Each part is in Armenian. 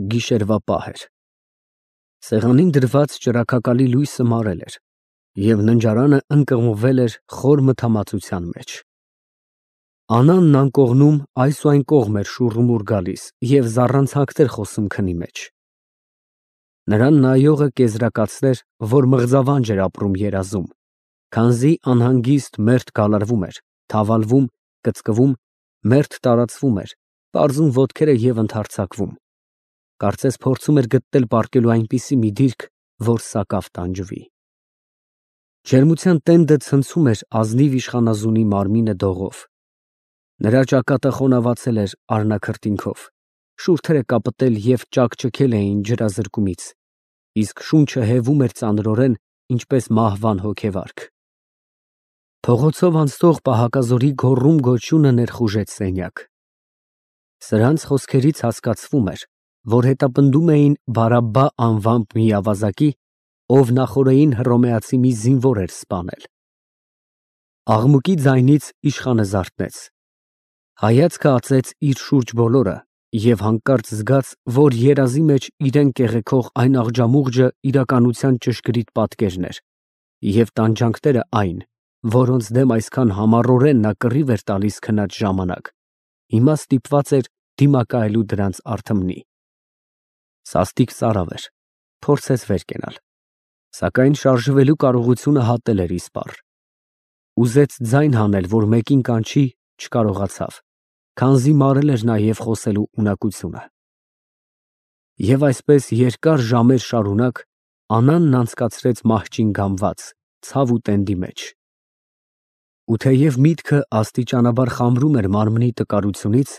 Գիշերվա պահ էր։ Սեղանին դրված ճրագակալի լույսը մարել էր, և ննջարանը ընկղմվել էր խոր մթամածության մեջ։ Անանն անկողնում այս ու այն կողմ էր շուռումուռ գալիս և զառանցանքներ խոսում քնի մեջ։ Նրան նայողը կեզրակացրեր, որ մղձավանջ էր ապրում երազում, քանզի անհանգիստ մերթ գալարվում էր, թավալվում, կծկվում, մերթ տարածվում էր, պարզում ոտքերը և ընդհարձակվում, կարծես փորձում էր գտնել պառկելու այնպիսի մի դիրք, որ սակավ տանջվի։ Ջերմության տենդը ցնցում էր ազնիվ իշխանազունի մարմինը դողով։ Նրա ճակատը խոնավացել էր արնաքրտինքով, շուրթերը կապտել և ճաքճքել էին ջրազրկումից, իսկ շունչը հևում էր ծանրորեն, ինչպես մահվան հոգեվարք։ Փողոցով անցնող պահակազորի գոռում֊գոչյունը ներխուժեց սենյակ։ Սրանց խոսքերից հասկացվում էր, որ հետապնդում էին Բարաբբա անվամբ մի ավազակի, ով նախօրեին հռոմեացի մի զինվոր էր սպանել։ Աղմուկի ձայնից իշխանը զարթնեց։ Հայացքը ածեց իր շուրջ բոլորը և հանկարծ զգաց, որ երազի մեջ իրան կեղեքող այն աղջամուղջը իրականության ճշգրիտ պատկերն էր, և տանջանքները այն, որոնց դեմ այսքան համառորեն նա կռիվ էր տալիս քնած ժամանակ, հիմա ստիպված էր դիմակայելու դրանց արթմնի։ Սաստիկ ծարավ էր, փորձեց վեր կենալ, սակայն շարժվելու կարողությունը հատել էր իսպառ։ Ուզեց ձայն հանել, որ մեկին կանչի, չկարողացավ, քանզի մարել էր նաև խոսելու ունակությունը։ Եվ այսպես երկար ժամեր շարունակ Անանն անցկացրեց մահճին գամված, ցավ ու տենդի մեջ։ Ու թեև միտքը աստիճանաբար խամրում էր մարմնի տկարությունից,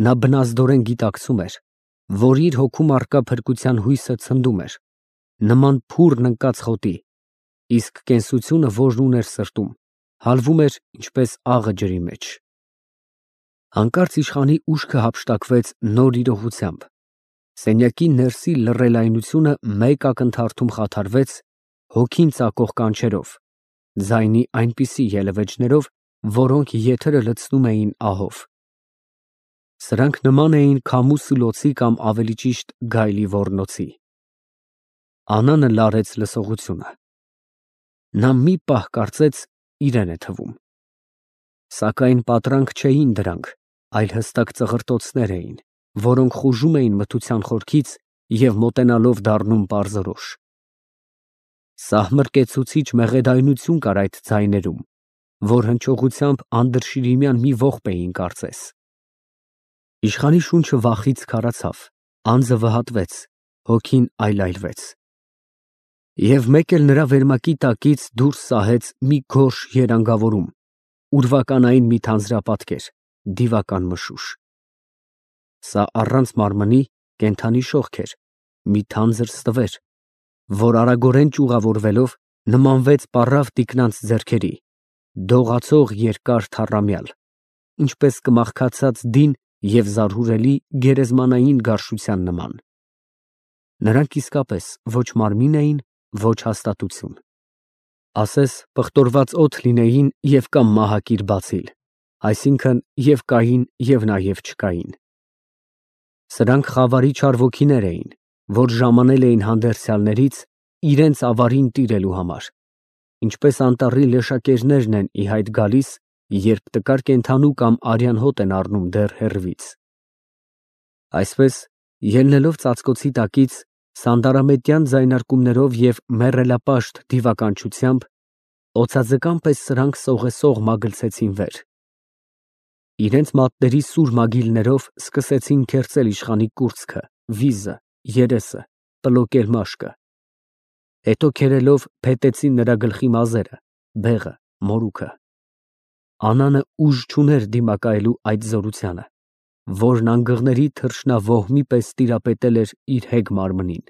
նա բնազդորեն գիտակցում էր, որ իր հոգում առկա փրկության հույսը ցնդում էր, նման փուռն ընկած խոտի, իսկ կենսությունը, որն ուներ սրտում, հալվում էր, ինչպես աղը ջրի մեջ։ Հանկարծ իշխանի ուշքը հափշտակվեց նոր իրողությամբ։ Սենյակի ներսի լռելայնությունը մեկ ակնթարթում խաթարվեց հոգին ծակող կանչերով, ձայնի այնպիսի ելևէջներով, որոնք եթերը լցնում էին ահով։ Սրանք նման էին քամու սուլոցի կամ ավելի ճիշտ գայլի ոռնոցի։ Անանը լարեց լսողությունը։ Նա մի պահ կարծեց իրեն է թվում։ Սակայն պատրանք չէին դրանք, այլ հստակ ծղրտոցներ էին, որոնք խուժում էին մթության խորքից և մոտենալով դառնում պարզորոշ։ Սահմռկեցուցիչ մեղեդայնություն կար այդ ձայներում, որ հնչողությամբ անդրշիրիմյան մի ողբ էին կարծես։ Իշխանի շունչը վախից քարացավ, անձը վհատվեց, հոգին այլայլվեց։ Եվ մեկ էլ նրա վերմակի տակից դուրս սահեց մի գորշ երանգավորում, ուրվականային մի թանձրապատկեր, դիվական մշուշ։ Սա առանց մարմնի կենդանի շողք էր, մի թանձր ստվեր, որ արագորեն ճյուղավորվելով նմանվեց պառավ տիկնանց ձեռքերի, դողացող երկար թառամյալ, ինչպես կմախքացած դին և զարհուրելի գերեզմանային գարշության նման։ Նրանք իսկապես ոչ մարմին էին, ոչ հաստատություն։ Ասես պղտորված օդ լինեին և կամ մահակիր բացիլ, այսինքն և կային և նաև չկային։ Սրանք խավարի չար ոգիներ էին, որ ժամանել էին հանդերձյալներից իրենց ավարին տիրելու համար, ինչպես անտառի լեշակերներն են ի հայտ գալիս, երբ տկար կենդանու կամ արյան հոտ են առնում դեռ հեռվից։ Այսպես, ելնելով ծածկոցի տակից, սանդարամետյան ձայնարկումներով և մեռելապաշտ դիվականչությամբ, օձաձկան պես սրանք սողեսող մագլցեցին վեր։ Իրենց մատների սուր մագիլներով սկսեցին քերծել իշխանի կուրծքը, վիզը, երեսը, պլոկել մաշկը։ Հետո քերելով փետեցին նրա գլխի մազերը, բեղը, մորուքը։ Անանը ուժ չուներ դիմակայելու այդ զորությանը, որն անգղների թռչնավոհմի պես տիրապետել էր իր հեգ մարմնին։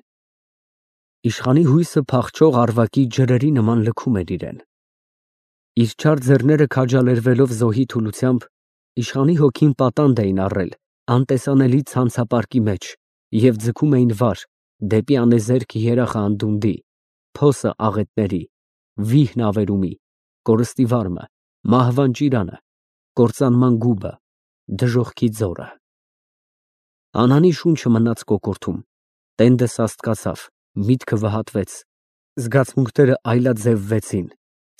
Իշխանի հույսը փախչող առվակի ջրերի նման լքում էր իրեն։ Իր չար ձեռները քաջալերվելով զոհի թուլությամբ, իշխանի հոգին պատանդ էին առել անտեսանելի ցանցապարկի մեջ և ձգում էին վար, դեպի անեզերք երախը անդունդի, փոսը աղետների, վիհն ավերումի, կորստի վարմը, մահվան ճիրանը, կործանման գուբը, դժոխքի ձորը։ Անանի շունչը մնաց կոկորդում, տենդը սաստկացավ, միտքը վհատվեց, զգացմունքները այլաձևվեցին,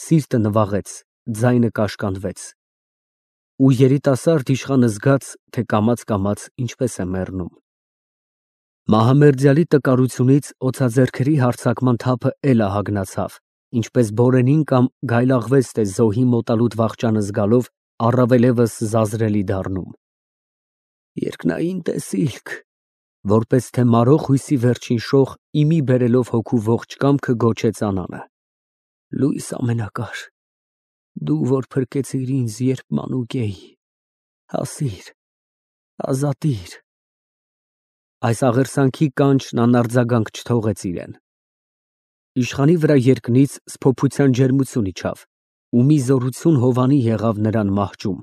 սիրտը նվաղեց, ձայնը կաշկանդվեց։ Ու երիտասարդ իշխանը զգաց, թե կամաց ինչպես է մեռնում։ Մահամերձյալի տկարությունից օծաձեռքերի հարձակման թափը էլ ահագնացավ, ինչպես բորենին կամ գայլաղվեստ է զոհի մոտալուտ վախճանը զգալով առավելևս զազրելի դառնում։ Երկնային տեսիլք, որպես թե մարող հույսի վերջին շող իմի բերելով հոգու ողջ կամքը գոչեց Անանը. Լույս ամենակար, դու որ փրկեցիր ինձ, երբ մանուկ էի, հասիր, ազատիր։ Այս աղերսանքի կանչն անարձագանք չթողեց իրեն։ Իշխանի վրա երկնից սփոփության ջերմություն իջավ, ու մի զորություն հովանի եղավ նրան մահճում։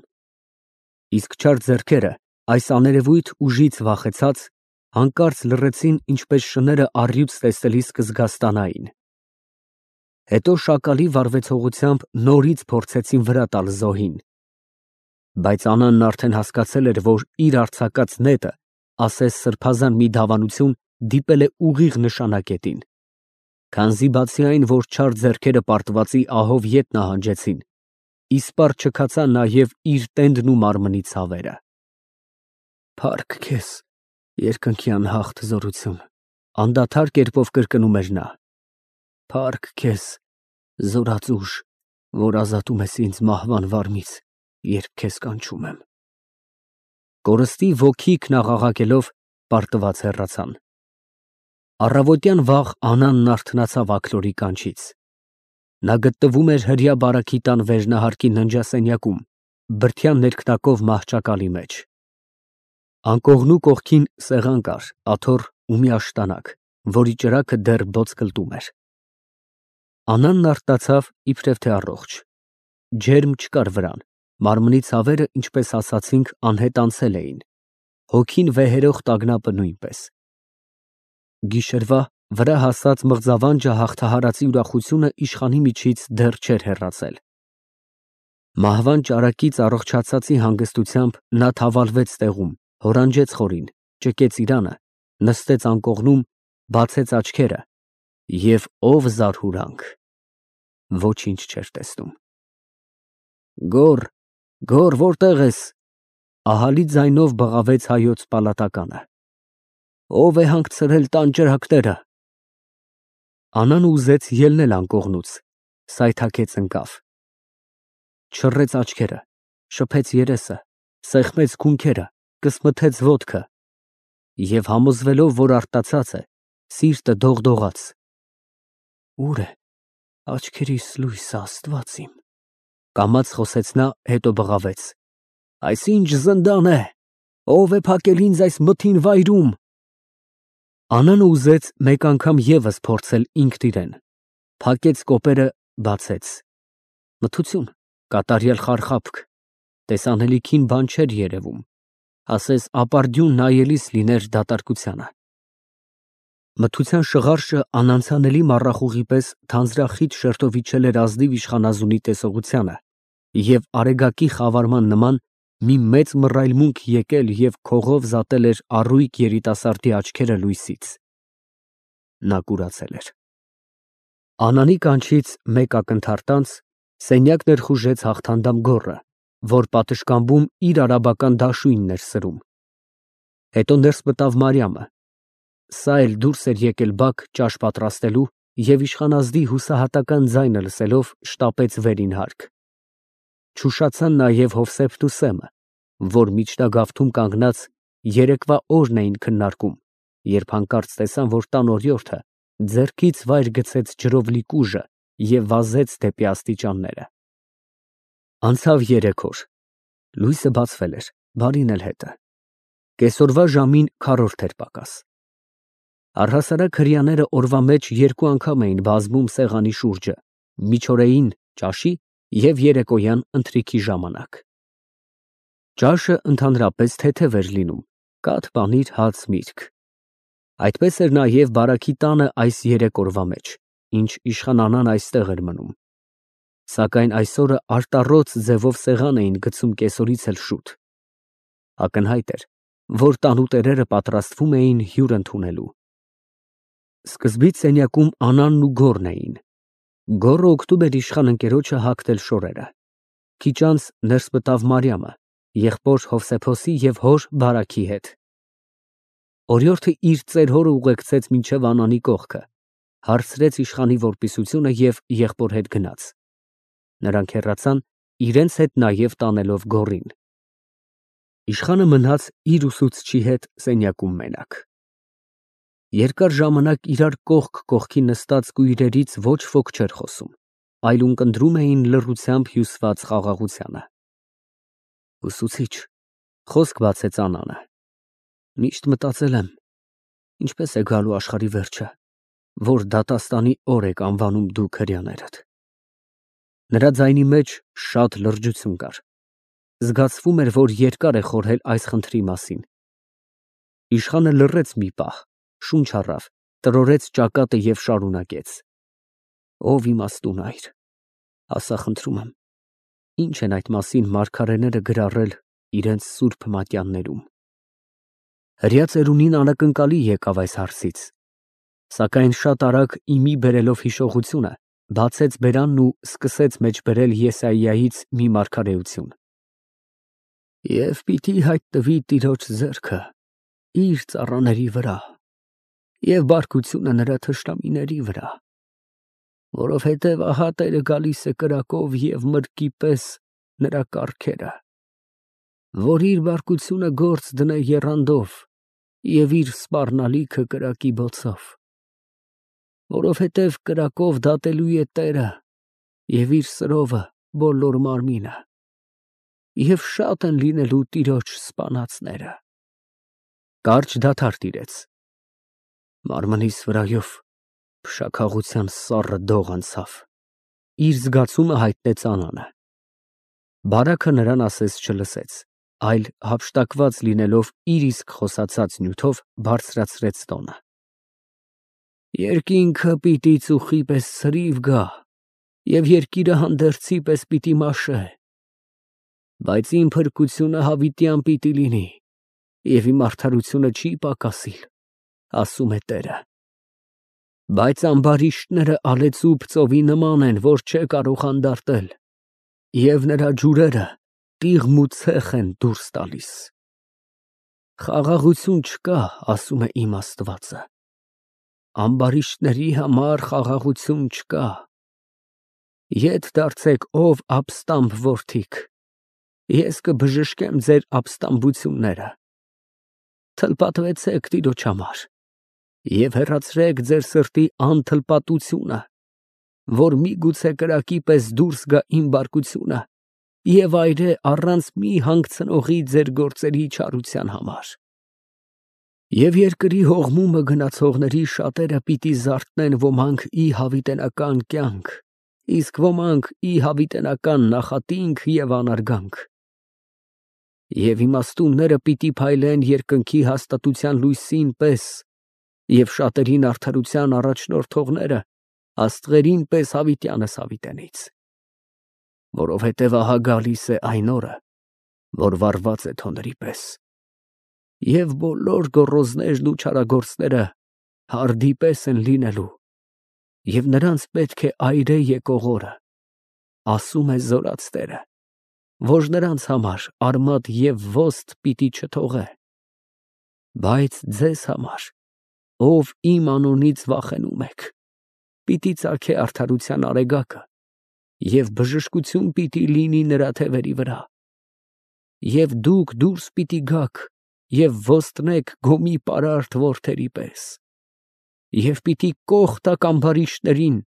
Իսկ չար ձեռքերը, այս աներևույթ ուժից վախեցած, հանկարծ լռեցին, ինչպես շները առյուծ տեսնելիս կզգաստանային։ Հետո շակալի վարվեցողությամբ նորից փորձեցին վրա տալ զոհին։ Բայց Անանն արդեն հասկացել էր, որ իր արձակած նետը, ասես սրբազան մի դավանություն, դիպել է ուղիղ նշանակետին։ Քանզի բացի այն, որ չար ձեռքերը պարտվածի ահով ետ նահանջեցին, իսպառ չքացան նաև իր տենդն ու մարմնի ցավերը։ Փառք քեզ, երկնքի անհաղթ զորություն, անդադար կերպով կրկնում էր նա։ Փառք քեզ, զորած ուժ, որ ազատում ես ինձ մահվան վարմից, երբ քեզ կանչում եմ։ Կորստի ոգիքն աղաղակելով պարտված հեռացան։ Առավոտյան վաղ Անանն արթնացավ աքլորի կանչից։ Նա գտնվում էր հրյա բարաքի տան վերնահարկի ննջասենյակում, բրդյան ներքնակով մահճակալի մեջ։ Անկողնու կողքին սեղան կար, աթոռ ու մի աշտանակ, որի ճրագը դեռ բոծկլտում էր։ Անանն արթնացավ, իբրև թե առողջ։ Ջերմ չկար վրան, մարմնի ցավերը, ինչպես ասացինք, անհետ անցել էին, հոգին վեհերող տագնապը նույնպես։ Գիշերվա վրա հասած մղձավանջը հաղթահարածի ուրախությունը իշխանի միջից դեռ չէր հեռացել։ Մահվան ճարակից առողջացածի հանգստությամբ նա թավալվեց տեղում, հորանջեց խորին, ճկեց իրանը, նստեց անկողնում, բացեց աչքերը և ով զարհուրանք, ոչինչ չէր տեսնում։ Գոռ, որտե՞ղ ես, ահալի ձայնով բղավեց հայոց պալատականը։ Ո՞վ է հանգցրել տան ճրագները։ Անան ուզեց ելնել անկողնուց, սայթաքեց ընկավ։ Չռեց աչքերը, շփեց երեսը, սեղմեց քունքերը, կսմթեց ոտքը և համոզվելով, որ արտացած է, սիրտը դողդողաց։ Ուր է աչքերիս լույսը, Աստված իմ, կամաց խոսեց նա, հետո բղավեց. Այս ինչ զնդան է, ով է փակել ինձ այս մթին վայրում։ Անանը ուզեց մեկ անգամ ևս փորձել ինքն իրեն, փակեց կոպերը, բացեց։ Մթություն, կատարյալ խարխափք, տեսանելիքին բան չէր երևում, ասես ապարդյուն նայելիս լիներ դատարկությանը։ Մթության շղարշը անանցանելի մառախուղի պես թանձրախիտ շերտով իջել էր ազնիվ իշխանազունի տեսողությանը և արեգակի խավարման նման մի մեծ մռայլմունք եկել և քողով զատել էր առույգ երիտասարդի աչքերը լույսից։ Նա կուրացել էր։ Անանի կանչից մեկ ակնթարթ անց սենյակ ներխուժեց հաղթանդամ գոռը, որ պատշգամբում իր արաբական դաշույնն էր սրում։ Հետո ներս մտավ Մարիամը։ Սա էլ դուրս էր եկել բակ ճաշ պատրաստելու և իշխանազդի հուսահատական ձայնը լսելով շտապեց վերին հարկ։ Չուշացան նաև Հովսեփն ու Սեմը, որ միջնագավթում կանգնած երեկվա օրն էին քննարկում, երբ հանկարծ տեսան, որ տան օրիորդը ձեռքից վայր գցեց ջրով լի կուժը և վազեց դեպի աստիճանները։ Անցավ 3 օր, լույսը բացվել էր, բարին էլ հետը։ Կեսօրվա ժամին քառորդ էր պակաս։ Առհասարակ հրեաները օրվա մեջ 2 անգամ էին բազմում սեղանի շուրջը, միջօրեին ճաշի և երեկոյան ընթրիքի ժամանակ։ Ճաշը ընդհանրապես թեթև էր լինում, կաթ, պանիր, հաց, միրգ։ Այդպես էր նաև բարաքի տանը այս 3 օրվա մեջ, ինչ իշխան Անան այստեղ էր մնում։ Սակայն այսօրը արտառոց ձևով սեղան էին գցում կեսօրից էլ շուտ։ Ակնհայտ էր, որ տանուտերերը պատրաստվում էին հյուր ընդունելու։ Սկզբից սենյակում Անանն ու Գոռն էին։ Գոռը օգնում էր իշխան ընկերոջը հագնել շորերը։ Քիչ անց ներս մտավ Մարիամը, եղբոր Հովսեփոսի և հոր Բարաքի հետ։ Օրիորդը իր ծեր հորը ուղեկցեց մինչև Անանի կողքը, հարցրեց իշխանի որպիսությունը և եղբոր հետ գնաց։ Նրանք հեռացան, իրենց հետ նաև տանելով Գոռին։ Իշխանը մնաց իր ուսուցչի հետ սենյակում մենակ։ Երկար ժամանակ իրար կողք կողքի նստած կույրերից ոչ ոք չէր խոսում, այլ ունկնդրում էին լռությամբ հյուսված խաղաղությանը։ Ուսուցիչ, խոսք բացեց Անանը, միշտ մտածել եմ, ինչպես է գալու աշխարհի վերջը, որ դատաստանի օր եք անվանում դուք հրեաներդ։ Նրա ձայնի մեջ շատ լրջություն կար։ Զգացվում էր, որ երկար է խորհել այս խնդրի մասին։ Իշխանը լռեց մի պահ, շունչ առավ, տրորեց ճակատը և շարունակեց. Ով իմաստուն այր, ասա խնդրում եմ, ինչ են այդ մասին մարգարեները գրառել իրենց սուրբ մատյաններում։ Հրեա ծերունին անակնկալի եկավ այս հարցից, սակայն շատ արագ իմի բերելով հիշողությունը, բացեց բերանն ու սկսեց մեջ բերել Եսայիայից մի մարգարեություն. Եվ պիտի հայտնվի Տիրոջ ձեռքը իր ծառաների վրա, և բարկությունը նրա թշնամիների վրա, որովհետև ահա Տերը գալիս է կրակով և մրրկի պես նրա կառքերը, որ իր բարկությունը գործ դնե եռանդով և իր սպառնալիքը կրակի բոցով, որովհետև կրակով դատելու է Տերը և իր սրովը բոլոր մարմինը, և շատ են լինելու Տիրոջ սպանածները։ Կարճ դադար տիրեց։ Մարմնիս վրայով փշաքաղության սառը դող անցավ։ Իր զգացումը հայտնեց Անանը։ Բարաքը նրան ասես չլսեց, այլ հափշտակված լինելով իր իսկ խոսացած նյութով բարձրացրեց տոնը. Երկինքը պիտի ծուխի պես ցրիվ գա, և երկիրը հանդերձի պես պիտի մաշե, բայց իմ փրկությունը հավիտյան պիտի լինի, և իմ արդարությունը չի պակասիլ, ասում է Տերը։ Բայց ամբարիշտները ալեցուբ ծովի նման են, որ չէ կարող հանդարտել, և նրա ջուրերը տիղմ ու ցեխ են դուրս տալիս։ Խաղաղություն չկա, ասում է իմ Աստվածը, ամբարիշտների համար խաղաղություն չկա։ Ետ դարձեք, ով ապստամբ որդիք, ես կբժշկեմ ձեր ապստամբությունները։ Թլպատվեցեք Տիրոջ համար և հեռացրեք ձեր սրտի անթլպատությունը, որ միգուցե կրակի պես դուրս գա իմ բարկությունը և այրե առանց մի հանգցնողի ձեր գործերի չարության համար։ Եվ երկրի հողմումը գնացողների շատերը պիտի զարթնեն ոմանք ի հավիտենական կյանք, իսկ ոմանք ի հավիտենական նախատինք և անարգանք։ Եվ իմաստունները պիտի փայլեն երկնքի հաստատության լույսին պես, և շատերին արդարության առաջնորդողները աստղերին պես հավիտյանս հավիտենից։ Որովհետև ահա գալիս է այն օրը, որ վառված է թոների պես, և բոլոր գոռոզներն ու չարագործները հարդի պես են լինելու, և նրանց պետք է այրե եկող օրը, ասում է Զորաց Տերը, որ նրանց համար արմատ և ոստ պիտի չթողե։ Բայց ձեզ համար, ով իմ անունից վախենում եք, պիտի ծագե արդարության արեգակը, և բժշկություն պիտի լինի նրա թևերի վրա։ Եվ դուք դուրս պիտի գաք և ոստնեք գոմի պարարտ որդերի պես, և պիտի կող տաք ամբարիշտներին,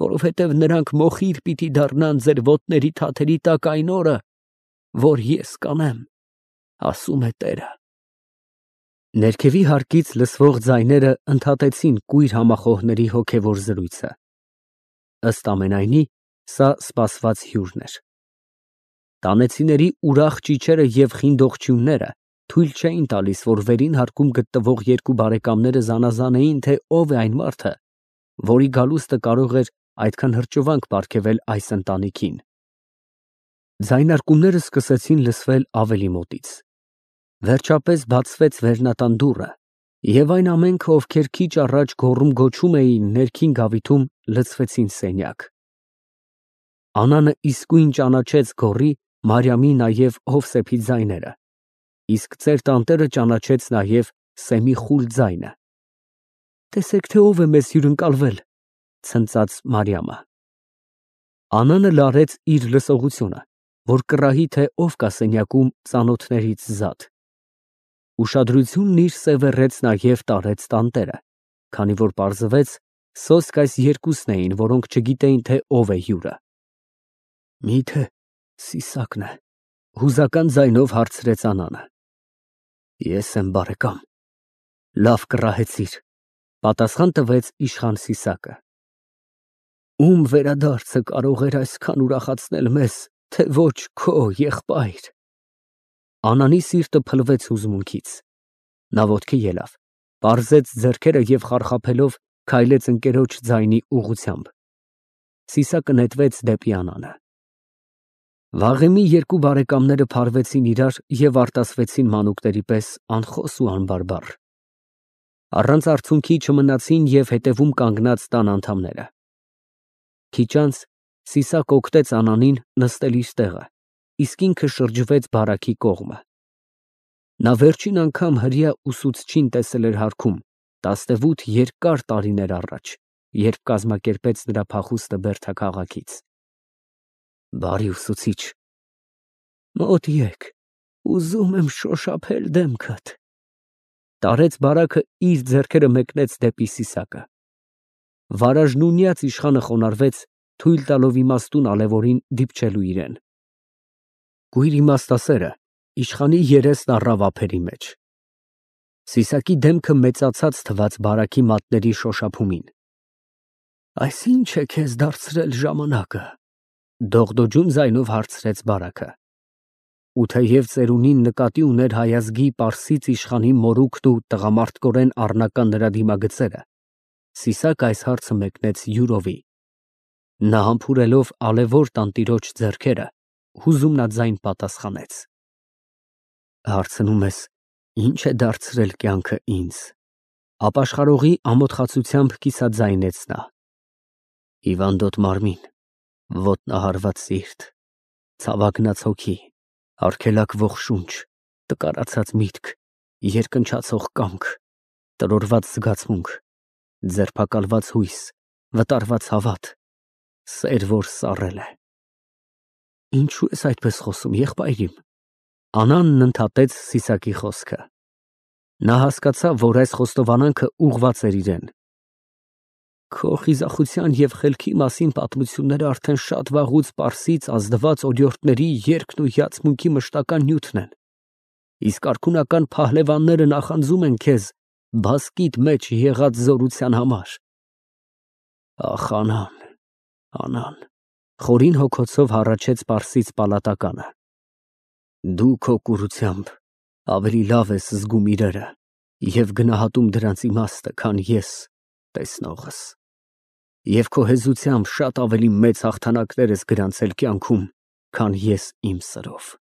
որովհետև նրանք մոխիր պիտի դառնան ձեր ոտների թաթերի տակ այն օրը, որ ես կանեմ, ասում է Տերը։ Ներքևի հարկից լսվող ձայները ընդհատեցին կույր համախոհների հոգևոր զրույցը։ Ըստ ամենայնի, սա սպասված հյուրն էր։ Տանեցիների ուրախ ճիչերը և խինդողջյունները թույլ չէին տալիս, որ վերին հարկում գտնվող երկու բարեկամները զանազանեին, թե ով է այն մարդը, որի գալուստը կարող էր այդքան հրճվանք պարգևել այս ընտանիքին։ Ձայնարկումները սկսեցին լսվել ավելի մոտից։ Վերջապես բացվեց վերնատան դուռը, և այն ամենքը, ովքեր քիչ առաջ գոռում-գոչում էին ներքին գավիթում, լցվեցին սենյակ։ Անանը իսկույն ճանաչեց գոռի, Մարիամի նաև Հովսեփի ձայները, իսկ ծեր տանտերը ճանաչեց նաև Սեմի խուլ ձայնը։ «Տեսեք, թե ով է մեզ հյուրընկալվել», ցնծաց Մարիամը։ Անանը լարեց իր լսողությունը, որ կռահի, թե ով կա սենյակում ծանոթներից զատ։ Ուշադրությունն իր սևեռեց նաև տարեց տանտերը, քանի որ պարզվեց, սոսկ այս երկուսն էին, որոնք չգիտեին, թե ով է հյուրը։ «Մի՞թե Սիսակն է», հուզական ձայնով հարցրեց Անանը։ «Ես եմ, բարեկամ»։ «Լավ կռահեցիր», պատասխան տվեց իշխան Սիսակը։ «Ում վերադարձը կարող էր այսքան ուրախացնել մեզ, թե ոչ քո, եղբայր»։ Անանի սիրտը փլվեց հուզմունքից։ Նա ոտքի ելավ, պարզեց ձեռքերը և խարխափելով քայլեց ընկերոջ ձայնի ուղղությամբ։ Սիսակը նետվեց դեպի Անանը։ Վաղեմի երկու բարեկամները փարվեցին իրար և արտասվեցին մանուկների պես անխոս ու անբարբառ։ Առանց արցունքի չմնացին և հետևում կանգնած տան անդամները։ Քիչ անց Սիսակը օգնեց Անանին նստել իր տեղը, իսկ ինքը շրջվեց բարակի կողմը։ Նա վերջին անգամ հրեա ուսուցչին տեսել էր հարքում 18 երկար տարիներ առաջ, երբ կազմակերպեց նրա փախուստը Բերդա քաղաքից։ «Բարի ուսուցիչ, մոտ եկ, ուզում եմ շոշափել դեմքդ»։ Տարեց բարակը իր ձեռքերը մեկնեց դեպի Սիսակը։ Վարաժնունյաց իշխանը խոնարհվեց, թույլ տալով իմաստուն ալեւորին դիպչելու իրեն։ Կույր իմաստասերը իշխանի երեսն առավ ափերի մեջ։ Սիսակի դեմքը մեծացած թվաց բարակի մատների շոշափումին։ «Այս ի՞նչ է քեզ դարձրել ժամանակը», դողդոջուն ձայնով հարցրեց բարակը։ Ու թեև ծերունին նկատի ուներ հայազգի պարսից իշխանի մորուքն ու տղամարդկորեն առնական նրա դիմագծերը, Սիսակը այս հարցը մեկնեց յուրովի։ Նա համբուրելով ալեւոր տանտիրոջ ձեռքերը, հուզումնաձայն պատասխանեց. «Հարցնում ես, ի՞նչ է դարձրել կյանքը ինձ»։ Ապաշխարողի ամոթխացությամբ կիսաձայնեց նա։ «Հիվանդոտ մարմին, ոտնահարված սիրտ, ցավագնաց հոգի, արգելակվող շունչ, տկարացած միտք, երկնչացող կամք, տրորված զգացմունք, ձերբակալված հույս, վտարված հավատ, սեր, որ սառել է»։ «Ինչո՞ւ ես այդպես խոսում, եղբայր իմ»։ Անանն ընդհատեց Սիսակի խոսքը։ Նա հասկացավ, որ այս խոստովանանքը ուղղված էր իրան։ «Քո խիզախության և խելքի մասին պատմությունները արդեն շատ վաղուց պարսից ազնված օրիորդների երգն ու հիացմունքի մշտական նյութն են, իսկ արքունական փահլևանները նախանձում են քեզ բասկիդ մեջ եղած զորության համար»։ «Ախ, Անան, Անան», խորին հոգոցով հառաչեց պարսից պալատականը, «դու քո կուրությամբ ավելի լավ ես զգում իրերը և գնահատում դրանց իմաստը, քան ես, տեսնողս, և քո հեզությամբ շատ ավելի մեծ հաղթանակներ ես գրանցել կյանքում, քան ես իմ սրով»։